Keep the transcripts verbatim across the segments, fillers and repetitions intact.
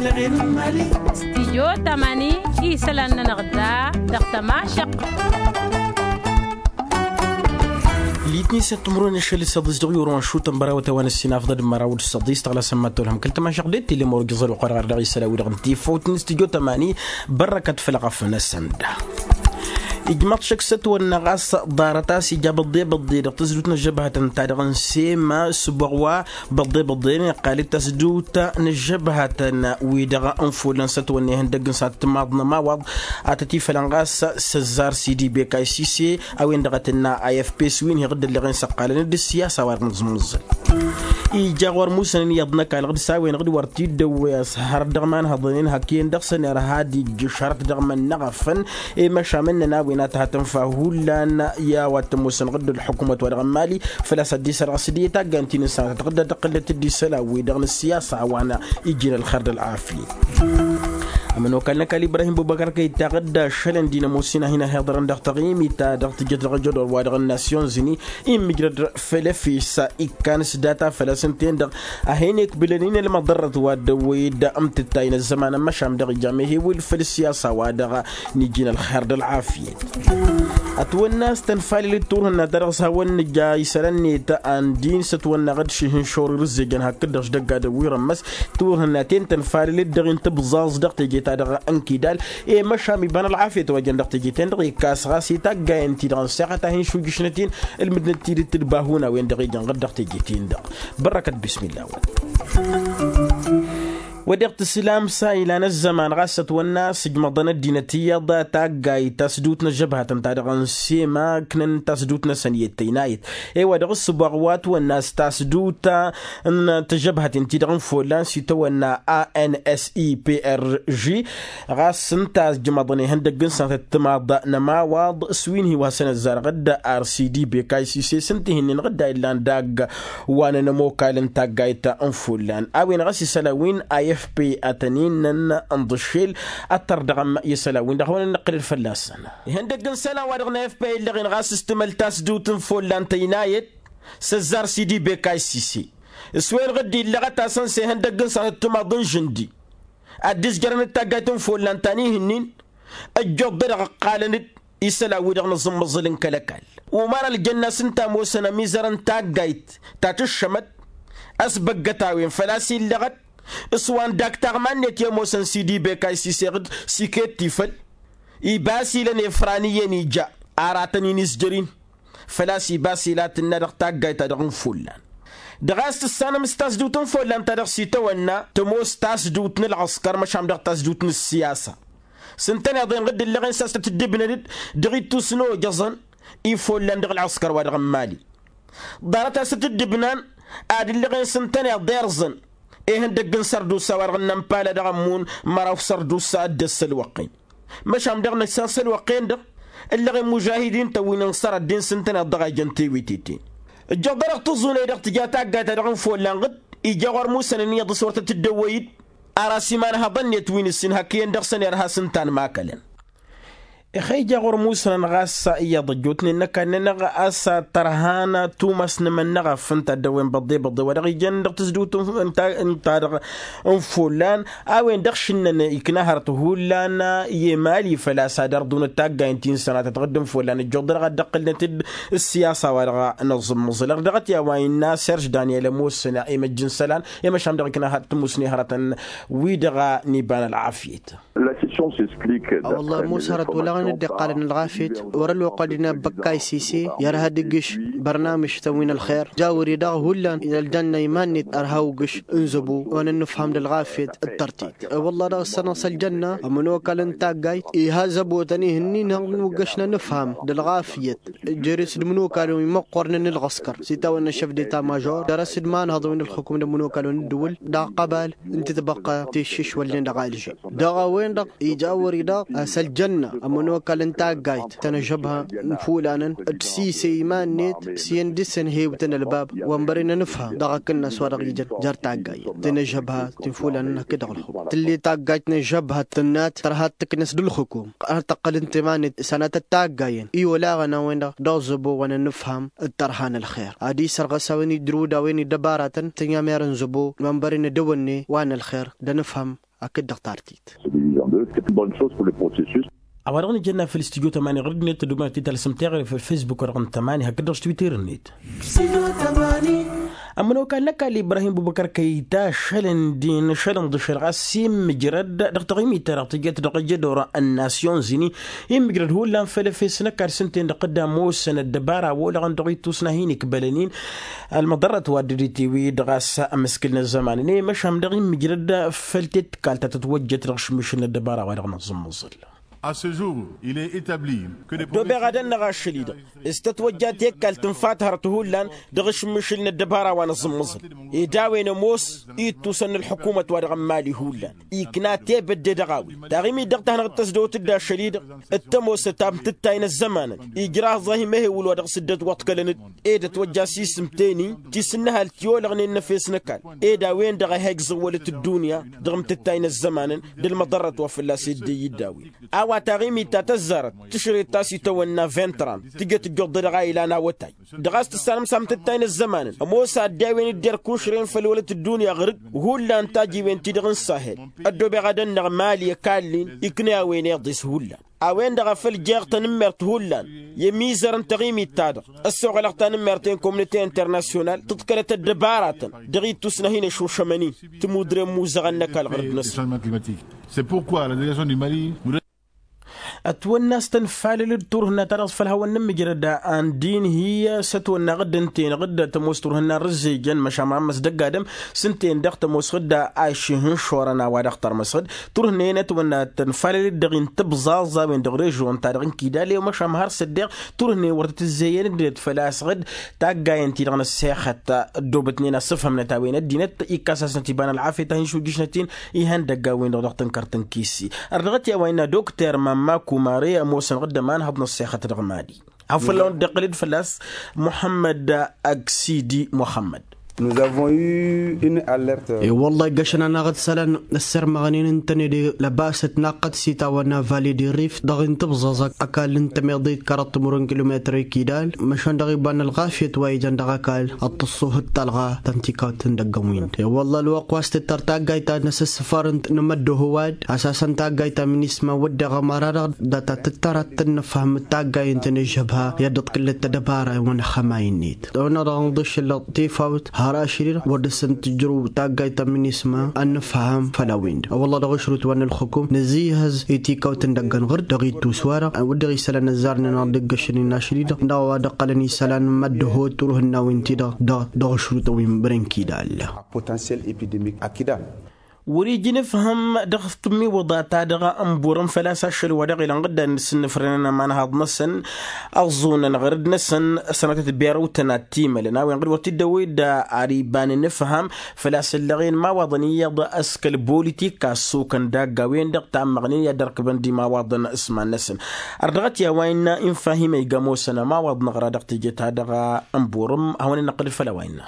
Stijyo tamani isălan-nănăɣ da dăɣ-tămašăq. Litni săttămrun ašăl săḍis dăɣ-yurun ašutăn bărawăt a-wa n-ăssinafḍăd măraw d-săḍis tăɣlasăn ma tolhăm kăl-tămašăq d-tili măruj iẓăl uqăr ɣar dăɣ-isălawi dăɣ-n tifawt n-stijyo tamani. Bărrăkăt făll-ɣăf n-asănda. Ijmăḍ šăkk s-ătwănna ɣas ḍarăt a-s ija băḍḍe-băḍḍe dăɣ-tăzdut n-ăžžăbhătăn ta dăɣ-n sema s-băɣwa băḍḍe-băḍḍe n-iqqal-dd tasdut n-ăžžăbhătăn wi-dăɣ n-folăn s-ătwănna ihăndăgg n-sănatăt timaḍ n-ămawaḍ. A tăt-ifălăn ɣas s-ăzzar sidi beka isise a-wen-dăɣ a tǝnna i f p s-wi n-hi-ɣǝddǝllăɣen s-ăqqalăn d-ǝssiyasa wa dăɣ-nǝẓẓǝl. Ija ɣur-musănăn iyyăḍ n-ăkall ɣǝd s-a-wen-dăɣ d-wăr t-dd-ăwwăy ăshărăt dăɣ-imanhăḍăn-in hak iyyăn dăɣ-săn irha d-ijjǝšărăt dăɣ-imănnăɣăfăn. I-măšan mănnăn a-wen a tăhatăn fa hullan i-a-wa t-ămoosăn ɣǝd ălḥukumăt wa dăɣ-n mali făl-a-s ad-dd-isărɣăs d-i-taggant-in n-sănatăt ɣǝd a tăqqǝlnăt d-isălan-wi-dăɣ n-ǝssiyasa wa n-ijin ălxer d-ălɣafyăt. Ămănokal n-ăkall ibrahim bubăkăr kăy-taɣ-dd ašălăn d-inămoos-in a hin-ăhiḍărăn dăɣ-taɣimit ta dăɣ-tǝjjăt dăɣ-ajădor wa dăɣ-n nasyon zini. Immǝjrăd făll-efes ikkan s-data făl-a-s ǝnta-en-dăɣ a hin-ikbǝlăn-in ălmăḍărrăt wa dd-ăwwăy-dd ǝmtǝttay n-ăzzăman n-măšan dăɣ-ija mehewǝl făll-ǝssiyasa wa dăɣ-nǝjin ălxer d-ălɣafyăt. Ătwănna a-s tănfalăl d-turhǝnna ta dăɣ-s hawăn-nǝja isălan-net ăndin s-ătwănna ɣǝd šihǝnšor irǝzzejăn hakd-dăɣ šdăgg ad-ăwwirăn măs turhǝnna-ten tănfalăl-dd dăɣ-in tǝbẓaẓ dăɣ-teje-ta-dăɣ ănkidal. I-măšan iba n-ălɣafyăt wa jăn dăɣ-teje-ten-dăɣ ikkas ɣas i-taggayăn-ti-dăɣ n-săɣăt a hin-šujǝšnăt-in ǝlmǝdnăt tidǝt d-bahun a-wen-dăɣ ijăn ɣǝd dăɣ-teje-ten-dăɣ. Bărrăkăt bismilla-wăn. Wa deɣ tǝslam s-a ilan ăzzăman ɣas ătwănna a-s ǝjmăḍăn ăddinăt iyyăḍ taggayt tasdut n-ăžžăbhătăn ta dăɣ-n sema ǝknăn tasdut-năsăn i-ăttăynayăt. I-wa dăɣ-s ǝbăɣ wa ătwănna a-s tasdut n-tăžžăbhăten-ti-dăɣ n-follan s-itawănna a n s i p r g. Ɣas ǝnta a ǝjmăḍăn ihăndăgg n-sănatăt timaḍ n-ămawaḍ s-wi n-hi-wa s-ănăzzarăɣ-dd ar s-idibek a isise s-ǝnta ihin-in ɣǝdda illan dagg wa n-ănămokal n-taggayt n-follan a-wen ɣas isălan wi n-i f p a tăn-innăn ǝnḍǝššel. Ad-tărdăɣăm i-isălan wi n-dăɣ-hawăn-ănnăqqǝlăd fălla-săn. Ihăndăgg n-isălan wa dăɣ-n i f p a illăɣen ɣas s-tǝmăl tasdut n-follan tăynayăt s-ăzzar s-idibek a isise s-wen ɣǝdda illăɣăt-asăn s-ihăndăgg n-sănatăt timaḍ n-žǝndi. Ad-dd-izjărăn d-taggayt n-follan ta n-ihǝnnin ăjjoḍ-dăɣ ǝqqalăn-dd isălan-wi-dăɣ n-aẓǝmmăẓǝl n-kăl-ăkall. Umar ăljănna s-ǝnta ămoosăn ămizăr n-taggayt ta tǝššămăt ăsbăggăt a-wen făl-a-s illăɣăt s-wa n-dak taɣma-net i-ămoosăn s-idibek a isiseɣ-dd s-iket tifăl. Iba a-s ilăn efran iyyăn ija aratăn-in izjăr-in. Făl-a-s iba a-s ila tǝnna dăɣ-taggayt-ta-dăɣ n-follan dăɣ-a-s tǝssanăm s-tasdut n-follan ta dăɣ-s itawănna tămoos tasdut n-ălɣăskăr măšan dăɣ-tasdut n-ǝssiyasa. S-ǝntăneḍ-en ɣǝdd ǝllăɣen s-a-s tăt-dd-ǝbnăd-dd dăɣ-ittus n-ojăẓăn ifollan dăɣ-ălɣăskăr wa dăɣ-n mali. Ḍarăt a-s tăt-dd-ǝbnan ad-ǝllăɣen s-ǝntăneḍ irẓăn ihăndăgg n-sărdusa wa dăɣ-nămpala dăɣ-ămmun măraw sărdusa dd-ăssălwăqqen. Măšan dăɣ-năssan sălwăqqen-dăɣ ǝllăɣen mužahidin-tăn wi n-ănṣăr ăddin s-ǝntăneḍ dăɣ-a ijăn tewăte-ten. Ǝjjăɣ dăr-dăɣ tǝẓẓunăy dăɣ-tǝja taggayt-ta-dăɣ n-follan ɣǝd ija ɣur-musănăn iyyăḍ s-wăr tăt-dd-ăwwăy-dd. Ar asimanhăḍăn-net wi n-ǝssin hak iyyăn dăɣ-săn irha s-ǝnta ănmakălăn. Ixăyja ɣur-musănăn ɣas iyyăḍ ăjjootnen n-ăkall-nănăɣ a-s tărhan tumas n-imănnăɣăf ǝnta a dd-ăwwen băḍḍe-băḍḍe wa dăɣ-ijăn dăɣ-tǝzdǝwt ta-dăɣ n-follan. A-wen-dăɣ šǝnnăn ikna hărăt hullan i-emali făl-a-s ad-ărḍunăt taggayăn ti n-sănatăt ɣǝdd n-follan ǝjjuḍ-dăɣ ad-dd-ăqqǝlnăt-dd ǝssiyasa wa dăɣ-năẓǝmmăẓǝl ărdăɣăt i-a-wa innă serž daniel ămoosăn i-măjj n-isălan i-măšan dăɣ-ikna hărăt tǝmmusne hărătăn wi-dăɣ n-iba n-ălɣafyăt. A-wălla ămoos hărăt olaɣăn dd-iqqalăn ălɣafyăt wăr-ălwăqq ad-inabăkka isise i-ărha ad-igǝš bărnamǝš-tăn wi n-ălxer. Jawăr-i-dăɣ hullan ăljanna iman-net ărha ugǝš n-zăbo wa n-ănnǝfham d-ălɣafyăt d-tărtit. Wălla dăɣ-s sănăɣ s-ăljanna ămănokal n-taggayt iha zăbo-tăn ihǝnnin hăn-ugăš n-anǝfham d-ălɣafyăt. Jere-s d-imănokalăn wi măqqornen n-ălɣăskăr s-itawănna šef d-eta mažor dăr-s d-imanhăḍ wi n-ălxukum d-imănokalăn n-ǝddǝwǝl. Dăɣ-ăqqăbal ǝnta tǝbăqqa tiššǝšwălnen dăɣ-alže. Dăɣ-a-wen-dăɣ ija a wăr-i-dăɣ a-s ăljanna ămănokal n-taggayt tăn-ăžžăbha n-ifulanăn d-sise iman-net s-iyyăn dăr-săn hewtăn ălbab wa n-bărăn anǝfham dăɣ-akǝnnas wa dăɣ-ijăn jer-taggayt tăn-ăžžăbha. Ti n-ifulanăn hakd-dăɣ ălxukum tǝll'-e taggayt n-ăžžăbha tǝnnat tărha ad-tǝknǝs d-ălxukum. Ad-tăqqǝl ǝnta iman-net sănatăt taggayen i-olaɣăn a-wen-dăɣ dăɣ-zăbo wa n-anǝfham d-tărha n-ălxer ad-isărɣǝs a-wen idrǝw d-a-wen idăbaratăn tǝnyamer n-zăbo wa n-bărăn edăwănne wa n-ălxer d-anǝfham. hakd-dăɣ tartit. A-wa-dăɣ nǝjănna făll-studyo tămani ɣur-dd-net tăddumanăt titalsăm teɣăre făll-facebook-wa-dăɣ n-tămani hakd-dăɣ s-twitter-net. Ămănokal n-ăkall ibrahim bubăkăr kăyta šălăn din šălăn d-ašăl ɣas immǝjrăd dăɣ-taɣimit-ta-dăɣ tǝjjăt dăɣ-ajădor n-nasyon zini. Immǝjrăd hullan făll-efes n-ăkall s-ǝnta-en-dăɣ tădda ămoosăn ăddăbara a olăɣăn dăɣ-ittus n-ad-hin-ikbălăn-in. Ălmăḍărrăt wa dd-dd-itiwi dăɣ-a-s ămǝskǝl n-ăzzăman-net măšan dăɣ-immǝjrăd făll-tetkalt ta tătwăjjăt dăɣ-ašǝmmišǝl n-ăddăbara wa-dăɣ n-aẓǝmmăẓǝl. Ăddobeɣ ad-ănnăɣ ašăl-i-dăɣ s-tătwăjja tekkalt n-ifathărăt hullan dăɣ-ašǝmmišǝl n-ăddăbara wa n-aẓǝmmăẓǝl. Ed a-wen ămoos ittusăn n-ălḥukumăt wa dăɣ-n mali hullan ikna tebădde dăɣ-a-wen. Taɣimit dăɣ-ta hanăɣ-dd-tăsdăwăt-dd ašăl-i-dăɣ d-tămoosăt ta n-tǝttay n-ăzzămanăn. Ijraẓ-ahi mehewǝl wa dăɣ-s dd-ătwăḍkălăn-dd ed ătwăjja s-isǝm teni ti s-ǝnnăhal ti olăɣnen n-efes n-ăkall. Ed a-wen-dăɣ a he-ǝgzăwwălăt ăddunya dăɣ-imtǝttay n-ăzzămanăn d-ălmăḍărrăt wa fălla-s edde iyyǝd a-wen. A-wa taɣimit ta tăzzarăt tǝšrăt ta s-itawănna ventran tǝjăt ǝjjuḍ-dăɣ a ilan awătay. Dăɣ-a-s tǝssanăm s-amtǝttay n-ăzzămanăn ămoos adde a-wen dd-irkušrăyăn făll-wălăt ăddunya ɣăr-dd. Hullan tajiwen-ti-dăɣ n-sahel ăddoobeɣ ad-ănnăɣ mali ăkall-in. Iknǝy a-wen iḍes hullan a-wen-dăɣ a făl jeɣ tanǝmmert hullan i-ămizăr n-taɣimit-ta-dăɣ. Ăssoɣălăɣ tanǝmmert i-inkomnite internasyonal tǝḍkălăt ăddăbaratăn dăɣ-ittus n-ad-hin-ăšušămăn-in. Tǝmudre n-imuzăɣăn n-ăkall ɣur-dd-năsăn. Ătwănna s-tănfalăl-dd turhǝnna-ta-dăɣ făll-hawăn-nǝmmǝjrăd ăndin hi-sătwănna ɣǝdd ǝnta-en ɣǝdd tămoos turhǝnna n-rǝzzejăn măšan mărammăs dăgg-adǝm. S-ǝnta-en-dăɣ tămoos ɣǝdd a iših n-išorăn a-wa dăɣ-tărmăs ɣǝdd turhǝnna-en ătwănna tănfalăl-dd dăɣ-i n-tǝbẓaẓ a-wen dăɣ-režion-ta-dăɣ n-kidal i-măšan har s-ăddeɣ turhǝnna-en wăr tăt-ǝzzeyăn ǝddinăt făl-a-s ɣǝdd. Taggayen-ti-dăɣ n-ăssexăt ăddoobătnen asǝfhămnăt a-wen ăddinăt ikkas-asnăt iba n-ălɣafyăt a hin-šujjǝšnăt-in. Ihăndăgg a-wen-dăɣ dăɣ-tǝnkărt n-kisi ărdăɣăt i-a-wa innă dokter mamma kumare ămoosăn ɣǝdd ămanhăḍ n-ăssexăt dăɣ-mali. Ad-făl-awăn-dd-iqqǝl-dd fălla-s muḥămmăd ăksidi muḥămmăd. Nuzavon yu inn alert. I-wălla iggăšăn-anăɣ d-isălan ăssirmăɣnen ǝntăne d-lăbasăt naqqăt s-itawănna vali d-irif dăɣ-intǝbẓăẓ ăkall n-tămiḍit kărăḍ timurăn kilometăr ikidal. Măšan dăɣ-iba n-ălɣafyăt wa ijăn dăɣ-ăkall ad-tǝṣṣuhǝd talɣa ta n-tikawt n-idăgg n-wind i-wălla ălwăqq wa s-tǝttăr taggayt ta n-asǝssǝfărăn n-amăddoh ăwadǝm asasăn taggayt ta minisma wădden ămăra-dăɣ data tǝttăr ad-tăn-nǝfhăm d-taggay ǝnta n-ǝžžăbha i-ad-dd-tǝkkǝlăt tădăbara i-wăn ăxxămay-net. Dăɣ-năɣ dăɣ-nǝḍǝššǝl dăɣ-tifawt har ašăl-i-dăɣ wăr dăr-săn tǝjrǝw taggayt ta minisma ad-nǝfhăm făll-a-wen-dăɣ wălla dăɣ-ašrut wa n-ălxukum nǝzihăz i-tikawt n-idăgg n-ɣǝr dăɣ-ittus-wa-dăɣ wădden isălan ăzzarnen ad-dd-ǝggăšăn-in ašăl-i-dăɣ dăɣ-a-wa dd-ăqqălăn isălan n-imăddoh turhǝnna wi n-ti-dăɣ dăɣ-dăɣ ašrut a-wen bărăn kidal. Potentiel epidemic akida. Wăr-iji nǝfhăm dăɣ-tǝmmiwǝḍa-ta-dăɣ n-burăm făl-a-s ašăl wa dăɣ-ilăn ɣǝddan d-sǝnnǝfrănăn ămanhaḍ-năsăn ăẓẓunăn ɣăr-dd-năsăn sănatăt berăw-tăn ad-t-imălăn a-wen ɣǝd wăr t-dd-ăwwed. Ar iba n-inǝfham făl-a-s ǝllăɣen imawaḍăn iyyăḍ s-kăl-bolitik a ăssukăn dagg a-wen-dăɣ tammăɣnen i-ad-ărkǝbăn d-imawaḍăn s-iman-năsăn. Ărdăɣăt i-a-wa innă infahim a iga ămoosăn ămawaḍ-năɣ ra dăɣ-teje-ta-dăɣ n-burăm hawăn-in-năqqǝl făll-a-wa innă.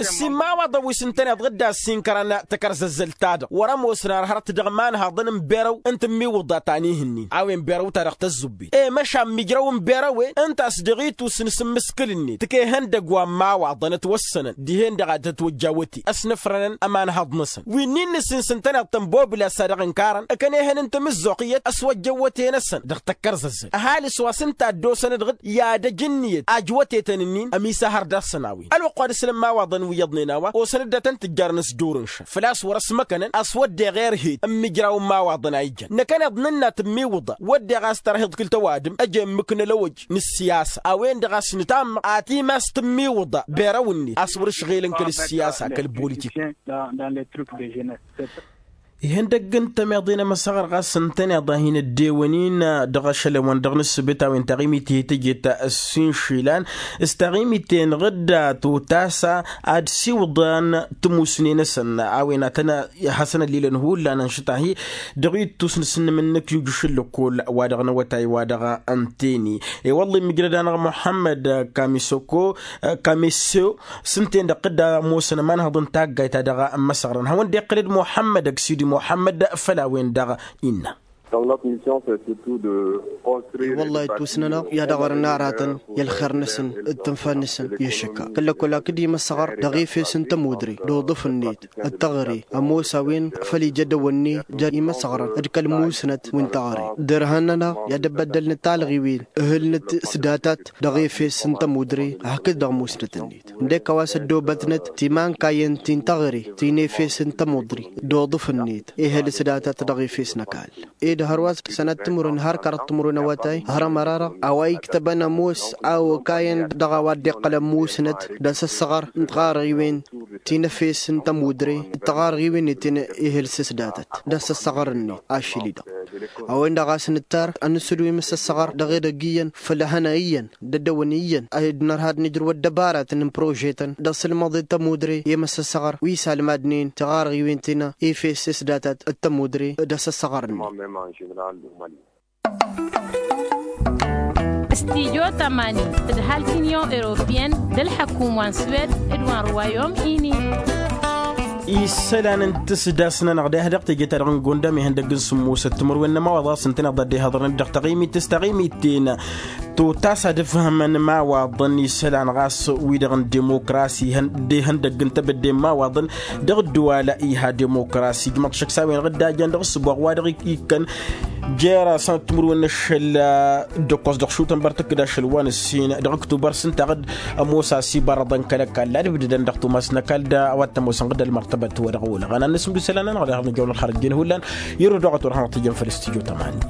Ǝssin imawaḍăn wi s-ǝntăneḍ ɣǝdda ăssinkărăn takărzăzzălt-ta-dăɣ wăr-ămoosăn ar hărăt dăɣ-imanhaḍăn n-berăw n-tǝmmiwǝḍa ta n-ihǝnnin a-wen berăw-ta-dăɣ tăzzubbit i-măšan mijrăw n-berăw-en ǝnta a-s dăɣ-itus n-isǝmmǝskǝl-net tǝkehăn dăgg-wa n-imawaḍăn ătwăssănăn dihen-dăɣ a tătwăjja awăte ăsnăfrănăn ămanhăḍ-năsăn wi n-innǝs-in s-ǝntăneḍ-tăn bobla-sa-dăɣ ǝnkarăn ǝkănehăn n-tamǝzzuɣt iyyăt ăswăjja awăte-năsăn dăɣ-tăkkărzăzzăl ăhalǝs wa s-ǝnta a dd-osăn-dd ɣǝd i-ad-ăj ǝnniyăt ajwătetăn-ǝnnin ămisahăr dăr-săn a-wen ălwăqq wa dăr-s lămmawaḍăn wi iyyăḍnen a-wa osăn-dd ad-tăn-tǝjjarăn s-dur n-iššăf făl-a-s wăr-ăsmăkănăn a-s wădden ɣer-het ǝmmǝjraw n-imawaḍăn a ijăn năkkăneḍ nǝnna tǝmmiwǝḍa wădden a-s tărhiḍ kǝl tăwadǝm ăj emmǝknăl ăwăj n-ǝssiyasa a-wen-dăɣ a-s nǝtammăɣ atimas tǝmmiwǝḍa berăw-net a-s wăr-ǝšɣelăn kăl-ǝssiyasa kăl-bolitik. Ihăndăgg n-tămeḍe n-emăsăɣăr ɣas ǝntăneḍ a hin-ăddewăn-in dăɣ-ašăl-wăn dăɣ-nǝssǝbǝt a-wen taɣimit ihi tǝjet s-inšilan s-taɣimit-en ɣǝdda totasa ad-siwǝḍăn tǝmusne-năsăn a-wen ad-tăn-hasăn-ăllilăn hullan ănšăt-ahi dăɣ-ittus n-asǝnnǝm n-inǝkjǝj ašǝllǝkol wa dăɣ-inǝwătay wa dăɣ-ǝnta-en-i. I-wălla imǝjrăd-anăɣ muḥămmăd kamisoko kamiso s-ǝnta-en-dăɣ tǝdda ămoosăn ămanhăḍ n-taggayt ta dăɣ-ămmăsăɣrăn hawăn-dd-iqqǝl-dd muḥămmăd ăksidi muḥămmăd făll-a-wen-dăɣ innă. Wăllah ittusnănăɣ i-ad-ăɣrǝn aratăn i-ălxer-năsăn d-tǝnfa-năsăn i-ăššăkka kăl-lăkol hakd imăssăɣăr dăɣ-efes n-tămudre d-uḍǝf-net d-taɣre ămoos a-wen făl ija dăwănne ja imăssăɣrăn d-kăl-musnăt wi n-taɣre. Dărhăn-nănăɣ i-ad-ăbbăddălnăt talɣiwen ǝhǝlnăt s-datat dăɣ-efes n-tămudre hakd dăɣ-musnăt-net. Ǝndek a-wa s-ăddoobătnăt timankayen ti n-taɣre ti n-efes n-tămudre d-uḍǝf-net ehăl s-datat dăɣ-efes n-ăkall. Ed hărwa s-sănăt timǝrwen har kărăt timǝrwen awătay hărămăr-arăɣ a-wa iktăbăn ămoos a okayăn dăɣ-a-wa dd-iqqălăn musnăt d-asăssăɣăr n-tiɣarɣiwen ti n-efes n-tămudre d-tiɣarɣiwen-net ti n-ehăl s-datăt d-asăssăɣăr-net ašăl-i-dăɣ. A-wen-dăɣ a-s nǝttar ad-nǝsǝdǝw imǝssăssăɣăr dăɣ-edăgg iyyăn făll-ehăna iyyăn d-ăddăwăn iyyăn ad-nărha ad-nǝjrǝw ăddăbaratăn n-prožetăn dăɣ-sǝlmăḍe d-tămudre i-imǝssăssăɣăr wi s-almadnen tiɣarɣiwen ti n-efes s-datăt d-tămudre d-asăssăɣăr-net. Stijo tămani d-halk inyon europiyăn d-ălḥăkum wa n-swed d-wa n-ruwayom ini. Isălan n-tǝsdas-nănăɣ deha dăɣ-teje-ta-dăɣ n-gondam ihăndăgg n-sǝmmosăt timǝrwen n-ămawaḍ ɣas ǝntăneḍ ad-dd-ihaḍărăn dăɣ-taɣimit s-taɣimit-ten. Totas ad-ǝfhămăn imawaḍăn isălan ɣas wi-dăɣ n-dimokrasi d-ihăndăgg n-tebădde n-imawaḍăn dăɣ-ǝddǝwal iha dimokrasi ǝjmăḍ šăkk s-a-wen-dăɣ dd-ajăn dăɣ-ǝssǝboɣ wa dăɣ-ikkăn jer-asăn timǝrwen n-ašăl d-ǝkkoẓ dăɣ-šutăn băr tǝkkǝd ašăl wa n-ǝssin dăɣ-ǝktubăr s-ǝnta a-dăɣ ămoos a-s ibărăḍăn kăl-ăkall ad-ǝbdǝdăn dăɣ-tumas n-ăkall d-a-wa t-ămoosăn ɣǝd ălmărtăbăt wa dăɣ-olăɣăn ad-nǝsǝmdǝw isălan-nănăɣ deɣ nǝjăwăn ălxărăt jen hullan. Irǝw dăɣ-a turhănăɣ tijăn făll-stujo tămani.